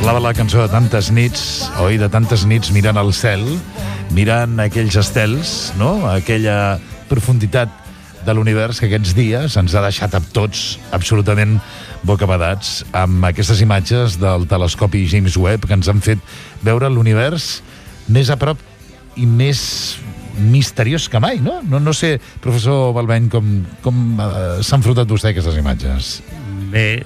Parlava la cançó de tantes nits, oi? De tantes nits mirant al cel, mirant aquells estels, no? Aquella profunditat de l'univers que aquests dies ens ha deixat a tots absolutament bocabadats amb aquestes imatges del telescopi James Webb que ens han fet veure l'univers més a prop i més misteriós que mai, no? No sé, professor Balbeny, com s'ha enfrontat vostè a aquestes imatges? Bé,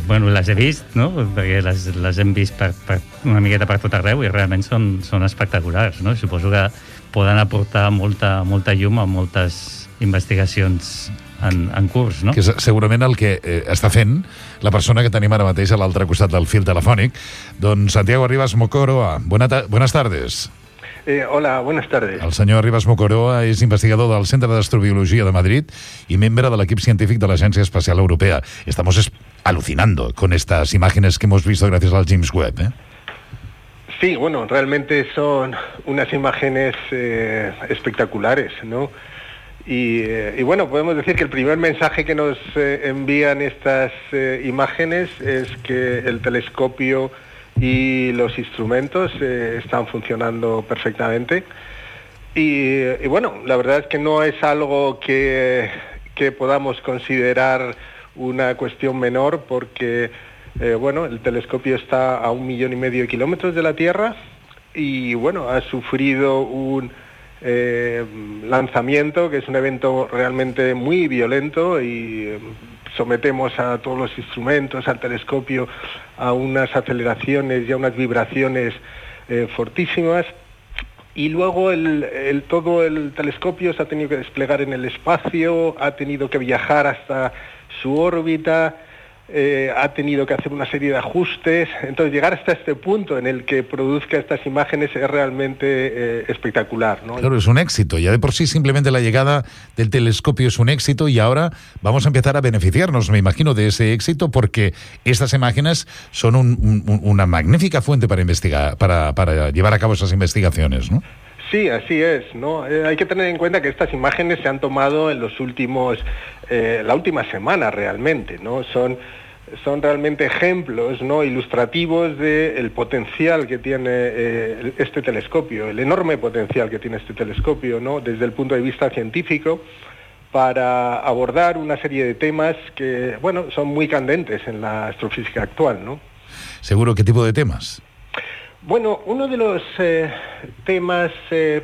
bueno, les he vist, no? Perquè les hem vist per una miqueta per tot arreu i realment són espectaculars, no? Suposo que poden aportar molta llum a moltes investigacions en curs, no? Que és segurament el que està fent la persona que tenim ara mateix a l'altre costat del fil telefònic. Doncs Santiago Arribas Mocoroa, buenas tardes. Hola, buenas tardes. El senyor Arribas Mocoroa és investigador del Centre d'Astrobiología de Madrid y miembro del equipo científico de la Agencia Espacial Europea. Estamos alucinando con estas imágenes que hemos visto gracias al James Webb, ¿eh? Sí, bueno, realmente son unas imágenes espectaculares, ¿no? Y bueno, podemos decir que el primer mensaje que nos envían estas imágenes es que el telescopio y los instrumentos están funcionando perfectamente. Y bueno, la verdad es que no es algo que podamos considerar una cuestión menor porque, bueno, el telescopio está a 1,5 millones de kilómetros de la Tierra y, bueno, ha sufrido un lanzamiento que es un evento realmente muy violento y sometemos a todos los instrumentos, al telescopio, a unas aceleraciones y a unas vibraciones fortísimas. Y luego todo el telescopio se ha tenido que desplegar en el espacio, ha tenido que viajar hasta su órbita, ha tenido que hacer una serie de ajustes. Entonces llegar hasta este punto en el que produzca estas imágenes es realmente espectacular, ¿no? Claro, es un éxito. Ya de por sí simplemente la llegada del telescopio es un éxito y ahora vamos a empezar a beneficiarnos, me imagino, de ese éxito porque estas imágenes son una magnífica fuente para investigar, para llevar a cabo esas investigaciones, ¿no? Sí, así es, ¿no? Hay que tener en cuenta que estas imágenes se han tomado en los últimos, la última semana realmente, ¿no? Son realmente ejemplos, ¿no?, ilustrativos del potencial que tiene este telescopio, el enorme potencial que tiene este telescopio, ¿no?, desde el punto de vista científico, para abordar una serie de temas que, bueno, son muy candentes en la astrofísica actual, ¿no? ¿Seguro qué tipo de temas? Bueno, uno de los temas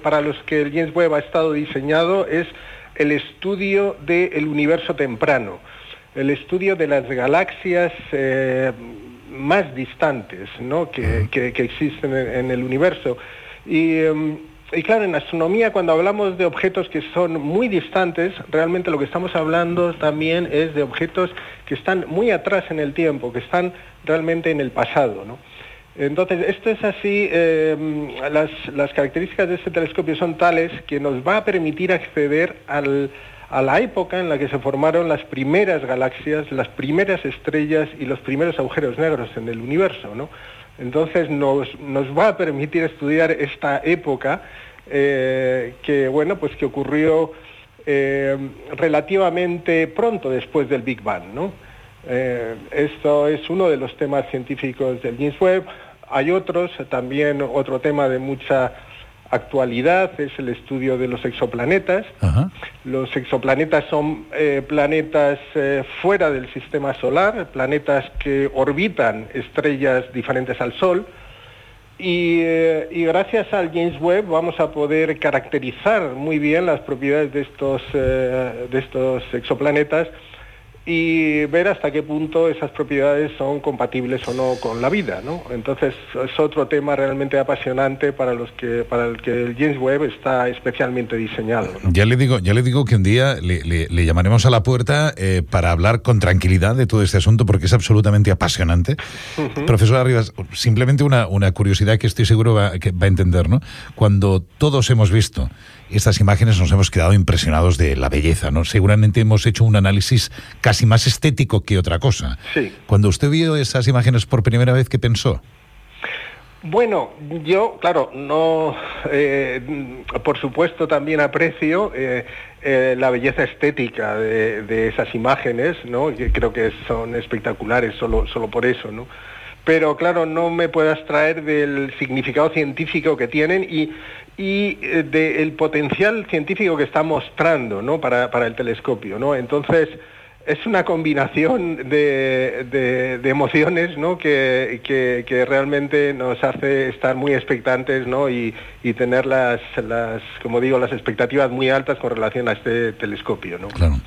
para los que el James Webb ha estado diseñado es el estudio del universo temprano, el estudio de las galaxias más distantes, ¿no?, que existen en el universo. Y claro, en astronomía, cuando hablamos de objetos que son muy distantes, realmente lo que estamos hablando también es de objetos que están muy atrás en el tiempo, que están realmente en el pasado, ¿no? Entonces, esto es así, las características de este telescopio son tales que nos va a permitir acceder a la época en la que se formaron las primeras galaxias, las primeras estrellas y los primeros agujeros negros en el universo, ¿no? Entonces, nos va a permitir estudiar esta época que, bueno, pues que ocurrió relativamente pronto después del Big Bang, ¿no? Esto es uno de los temas científicos del James Webb. Hay otros, también otro tema de mucha actualidad es el estudio de los exoplanetas. Ajá. Los exoplanetas son planetas fuera del sistema solar, planetas que orbitan estrellas diferentes al Sol. Y gracias al James Webb vamos a poder caracterizar muy bien las propiedades de estos exoplanetas y ver hasta qué punto esas propiedades son compatibles o no con la vida, ¿no? Entonces es otro tema realmente apasionante para el que el James Webb está especialmente diseñado, ¿no? Ya le digo que un día le llamaremos a la puerta para hablar con tranquilidad de todo este asunto porque es absolutamente apasionante. Uh-huh. Profesor Arribas, simplemente una curiosidad que estoy seguro que va a entender, ¿no? Cuando todos hemos visto estas imágenes nos hemos quedado impresionados de la belleza, ¿no? Seguramente hemos hecho un análisis casi más estético que otra cosa. Sí. Cuando usted vio esas imágenes por primera vez, ¿qué pensó? Bueno, yo, claro, no, por supuesto también aprecio la belleza estética de esas imágenes, ¿no? Que creo que son espectaculares solo por eso, ¿no? pero claro, no me puedo abstraer del significado científico que tienen y del potencial científico que está mostrando, ¿no? para el telescopio, ¿no? Entonces, es una combinación de emociones, ¿no? que realmente nos hace estar muy expectantes, ¿no? y tener las expectativas muy altas con relación a este telescopio, ¿no? Claro.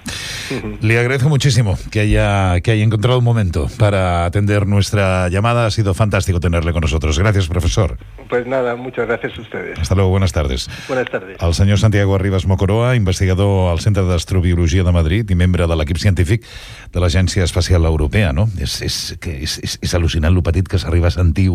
Le agradezco muchísimo que haya encontrado un momento para atender nuestra llamada. Ha sido fantástico tenerle con nosotros. Gracias, profesor. Pues nada, muchas gracias a ustedes. Hasta luego, buenas tardes. Buenas tardes. El senyor Santiago Arribas Mocoroa, investigador al Centre d'Astrobiologia de Madrid i membre de l'equip científic de l'Agència Espacial Europea, no? És al·lucinant lo petit que s'arriba a sentir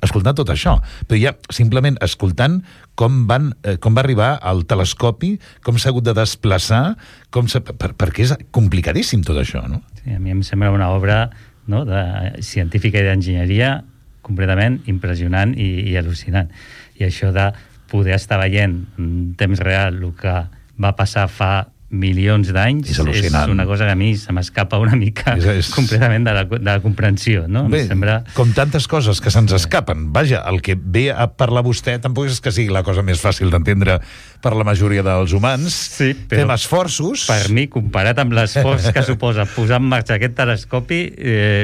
escoltant tot això, però ja simplement escoltant com va arribar al telescopi, com s'ha hagut de desplaçar, perquè és complicadíssim tot això, no? Sí, a mi em sembla una obra, no, científica i d'enginyeria completament impressionant i al·lucinant. I això de poder estar veient en temps real el que va passar fa milions d'anys és una cosa que a mi se m'escapa una mica completament de la comprensió, no? Bé, com tantes coses que se'ns escapen. Vaja, el que ve a parlar vostè tampoc és que sigui la cosa més fàcil d'entendre per la majoria dels humans. Sí, però fem esforços. Per mi, comparat amb l'esforç que suposa posar en marxa aquest telescopi,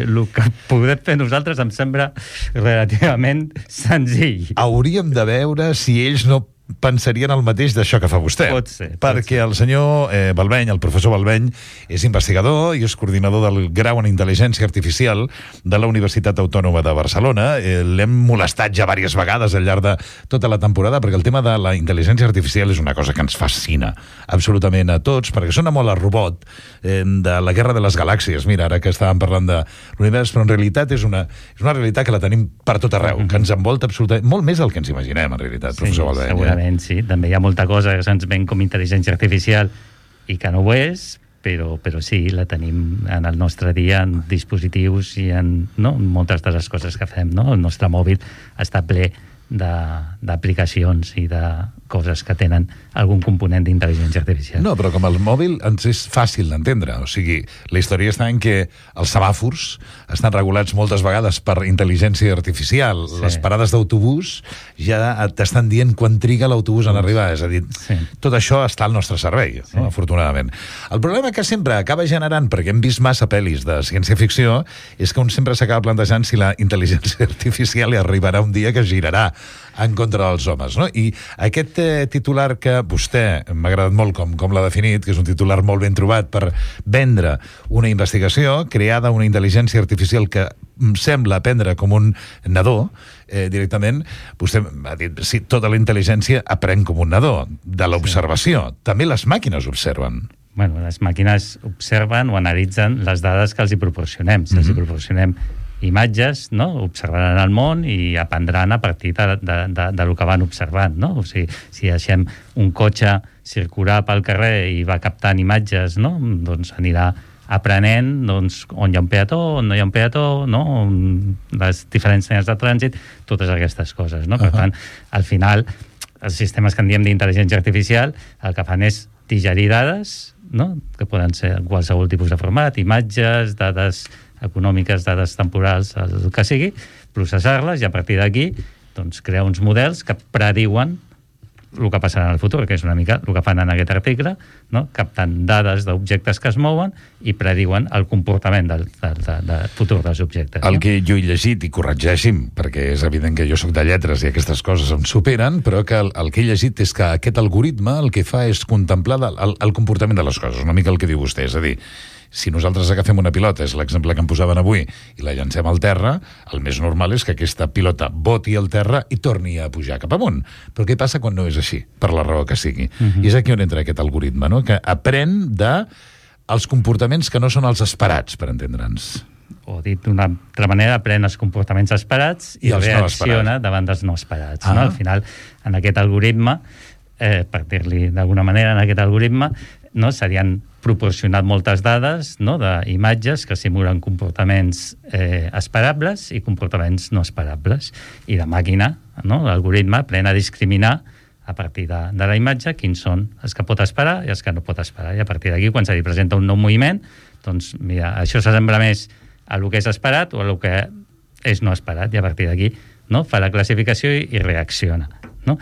el que podem fer nosaltres em sembla relativament senzill. Hauríem de veure si ells no pensarien el mateix d'això que fa vostè. Pot ser. Perquè el senyor Balbeny, el professor Balbeny, és investigador i és coordinador del grau en Intel·ligència Artificial de la Universitat Autònoma de Barcelona. L'hem molestat ja diverses vegades al llarg de tota la temporada, perquè el tema de la intel·ligència artificial és una cosa que ens fascina absolutament a tots, perquè sona molt a robot de la Guerra de les Galàxies. Mira, ara que estàvem parlant de l'univers, però en realitat és una realitat que la tenim per tot arreu, que ens envolta absolutament, molt més del que ens imaginem, en realitat, professor Balbeny. Segurament. Sí, també hi ha molta cosa que se'ns ven com intel·ligència artificial i que no ho és, però sí, la tenim en el nostre dia en dispositius i en moltes de les coses que fem, no? El nostre mòbil està ple d'aplicacions i de coses que tenen algun component d'intel·ligència artificial. No, però com el mòbil ens és fàcil d'entendre. O sigui, la història està en que els semàfors estan regulats moltes vegades per intel·ligència artificial. Sí. Les parades d'autobús ja t'estan dient quan triga l'autobús en arribar. És a dir, tot això està al nostre servei, no? Afortunadament. El problema que sempre acaba generant, perquè hem vist massa pel·lis de ciència-ficció, és que un sempre s'acaba plantejant si la intel·ligència artificial hi arribarà un dia que girarà en contra dels homes, no? I aquest titular que vostè m'ha agradat molt com l'ha definit, que és un titular molt ben trobat per vendre una investigació creada una intel·ligència artificial que sembla aprendre com un nadó, directament, vostè ha dit, sí, tota la intel·ligència aprèn com un nadó, de l'observació. També les màquines observen. Bueno, les màquines observen o analitzen les dades que els hi proporcionem. Si els hi proporcionem imatges, no? Observaran el món i aprendran a partir del que van observant, no? O sigui, si deixem un cotxe circular pel carrer i va captant imatges, no? Doncs anirà aprenent on hi ha un peató, on no hi ha un peató, no? Les diferents senyals de trànsit, totes aquestes coses, no? Per tant, al final, els sistemes que en diem d'intel·ligència artificial el que fan és digerir dades, no? Que poden ser qualsevol tipus de format, imatges, dades econòmiques, dades temporals, el que sigui, processar-les i a partir d'aquí doncs, crear uns models que prediuen el que passarà en el futur, que és una mica el que fan en aquest article, no? Captant dades d'objectes que es mouen i prediuen el comportament del futur dels objectes. El que jo he llegit, i corregeixi'm, perquè és evident que jo soc de lletres i aquestes coses em superen, però que el que he llegit és que aquest algoritme el que fa és contemplar el comportament de les coses, una mica el que diu vostè, és a dir, si nosaltres agafem una pilota, és l'exemple que em posaven avui, i la llancem al terra, el més normal és que aquesta pilota boti al terra i torni a pujar cap amunt. Però què passa quan no és així, per la raó que sigui? I és aquí on entra aquest algoritme, no? Que aprèn dels comportaments que no són els esperats, per entendre'ns. O dit d'una altra manera, aprèn els comportaments esperats i reacciona davant dels no esperats. No? Al final, en aquest algoritme, per dir-li d'alguna manera, en aquest algoritme, no, s'havien proporcionat moltes dades, no, d'imatges que simulen comportaments esperables i comportaments no esperables. I la màquina, no, l'algoritme, aprèn a discriminar a partir de la imatge quins són els que pot esperar i els que no pot esperar. I a partir d'aquí, quan se li presenta un nou moviment, doncs, mira, això s'assembla més a el que és esperat o a el que és no esperat, i a partir d'aquí, no, fa la classificació i reacciona, no?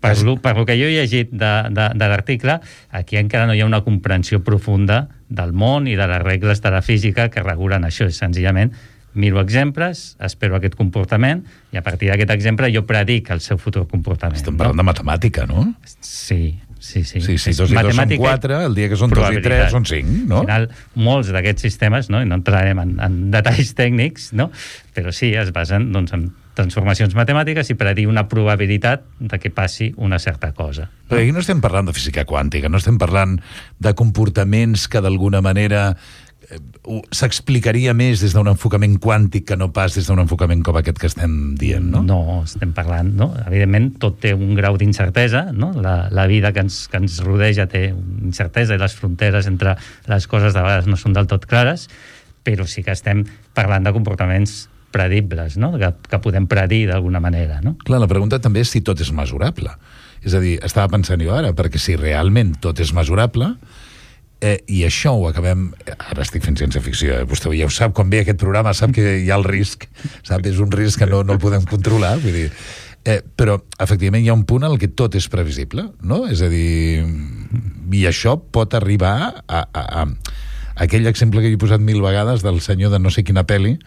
Per lo que jo he llegit de l'article, aquí encara no hi ha una comprensió profunda del món i de les regles de la física que regulen això. És senzillament miro exemples, espero aquest comportament i a partir d'aquest exemple jo predic el seu futur comportament. Estem parlant de matemàtica, no? Sí. Sí, 2 i 2 són 4, el dia que són 2 i 3 són 5, no? Al final, molts d'aquests sistemes, no? I no entrarem en detalls tècnics, no? Però sí, es basen, doncs, en transformacions matemàtiques i predir una probabilitat de que passi una certa cosa. Però aquí no estem parlant de física quàntica, no estem parlant de comportaments que d'alguna manera s'explicaria més des d'un enfocament quàntic que no pas des d'un enfocament com aquest que estem dient, no? No, estem parlant, no? Evidentment, tot té un grau d'incertesa, no? La vida que ens rodeja té incertesa i les fronteres entre les coses de vegades no són del tot clares, però sí que estem parlant de comportaments predibles, no? Que podem predir d'alguna manera, no? Clar, la pregunta també és si tot és mesurable. És a dir, estava pensant jo ara, perquè si realment tot és mesurable, i això ho acabem... Ara estic fent ciència-ficció, vostè ja ho sap, quan ve aquest programa sap que hi ha el risc, sap? És un risc que no el podem controlar, vull dir... però, efectivament, hi ha un punt en el que tot és previsible, no? És a dir, i això pot arribar a aquell exemple que he posat 1000 vegades del senyor de no sé quina pel·li,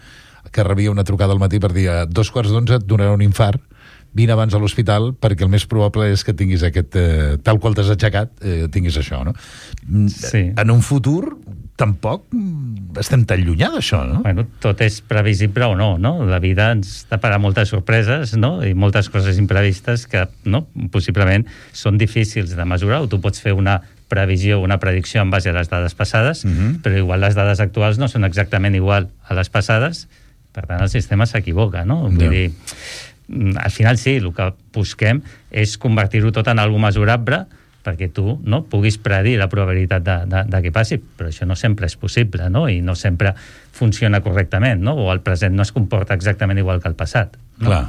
que rebia una trucada al matí per dir a 2:45 et donarà un infart, vine abans a l'hospital perquè el més probable és que tinguis aquest... tal qual t'has aixecat, tinguis això, no? Sí. En un futur tampoc estem tan llunyà d'això, no? Bueno, tot és previsible o no, no? La vida ens taparà moltes sorpreses, no? I moltes coses imprevistes que, no? Possiblement són difícils de mesurar, o tu pots fer una previsió, una predicció en base a les dades passades, però igual les dades actuals no són exactament igual a les passades, per tant el sistema s'equivoca, no? Vull dir, al final sí, el que busquem és convertir-ho tot en alguna mesurable perquè tu, no, puguis predir la probabilitat de que passi, però això no sempre és possible, no? I no sempre funciona correctament, no? O el present no es comporta exactament igual que el passat, no? Clar.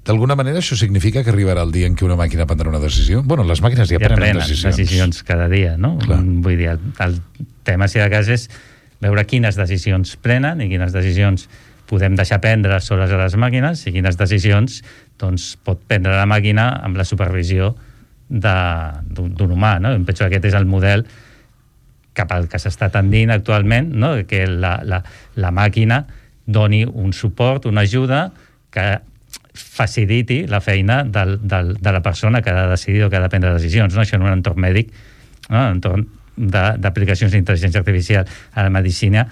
D'alguna manera això significa que arribarà el dia en què una màquina prendrà una decisió? Bueno, les màquines ja prenen decisions cada dia, no? Clar. Vull dir, el tema, si de cas, és veure quines decisions prenen i quines decisions podem deixar prendre soles a les màquines i quines decisions, doncs, pot prendre la màquina amb la supervisió d'un humà, no? Em penso que aquest és el model cap al que s'està tendint actualment, no? Que la màquina doni un suport, una ajuda que faciliti la feina de la persona que ha de decidir o que ha de prendre decisions, no? Això en un entorn mèdic, no? En un entorn d'aplicacions d'intel·ligència artificial a la medicina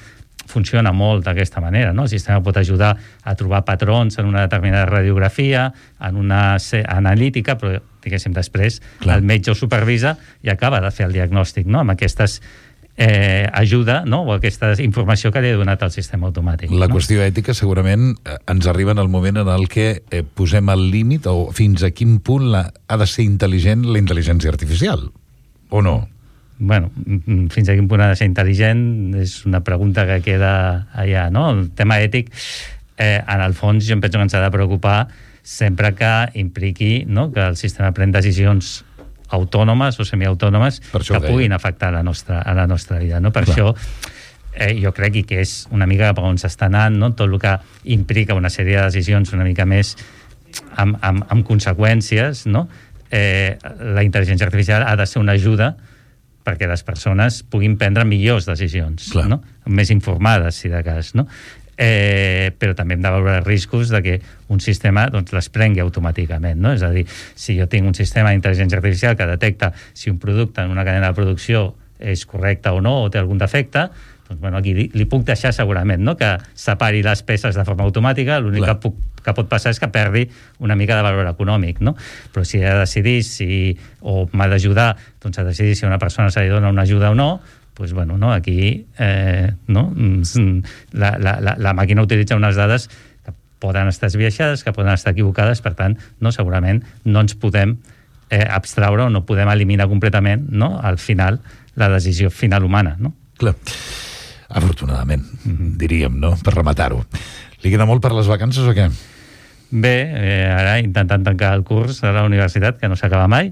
funciona molt d'aquesta manera, no? El sistema pot ajudar a trobar patrons en una determinada radiografia, en una analítica, però, diguéssim, després el metge ho supervisa i acaba de fer el diagnòstic, no? Amb aquestes ajuda, no? O aquesta informació que li ha donat el sistema automàtic. La qüestió ètica segurament ens arriba en el moment en el que posem el límit o fins a quin punt ha de ser intel·ligent la intel·ligència artificial, o no? Bueno, fins a quin punt ha de ser intel·ligent és una pregunta que queda allà, no? El tema ètic, en el fons, jo em penso que ens ha de preocupar sempre que impliqui, no?, que el sistema pren decisions autònomes o semiautònomes que puguin afectar a la nostra vida, no? Per això jo crec que és una mica cap on s'està anant, no? Tot el que implica una sèrie de decisions una mica més amb conseqüències, no? La intel·ligència artificial ha de ser una ajuda perquè les persones puguin prendre millors decisions, no? Més informades, si de cas, no? Però també hem de veure riscos de que un sistema, doncs, les prengui automàticament, no? És a dir, si jo tinc un sistema d'intel·ligència artificial que detecta si un producte en una cadena de producció és correcte o no, o té algun defecte, doncs, bueno, aquí li puc deixar segurament, no?, que separi les peces de forma automàtica, l'únic que pot passar és que perdi una mica de valor econòmic, no? Però si he de decidir o m'ha d'ajudar, doncs a decidir si a una persona se li dona una ajuda o no, doncs, bueno, no, aquí no? La màquina utilitza unes dades que poden estar esbiaixades, que poden estar equivocades, per tant, no, segurament no ens podem abstraure o no podem eliminar completament, no?, al final, la decisió final humana, no? Clar. Afortunadament, diríem, no?, per rematar-ho. Li queda molt per les vacances o què? Bé, ara intentant tancar el curs a la universitat, que no s'acaba mai,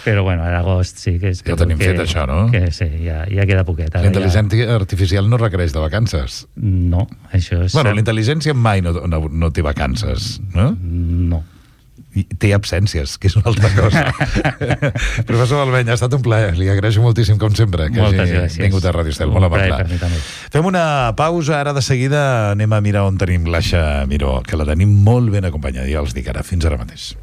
però bueno, a l'agost sí que... Ja ho tenim fet, això, no? Que sí, ja queda poquet. La intel·ligència artificial no requereix de vacances. No, això és... Bueno, la intel·ligència mai no té vacances, no? No. I té absències, que és una altra cosa. Professor Balbeny, ha estat un plaer. Li agraeixo moltíssim, com sempre, que hagi vingut a Radio Estel. Molt amable. Fem una pausa. Ara de seguida anem a mirar on tenim l'Aixa Miró, que la tenim molt ben acompanyada. Ja els dic ara. Fins ara mateix.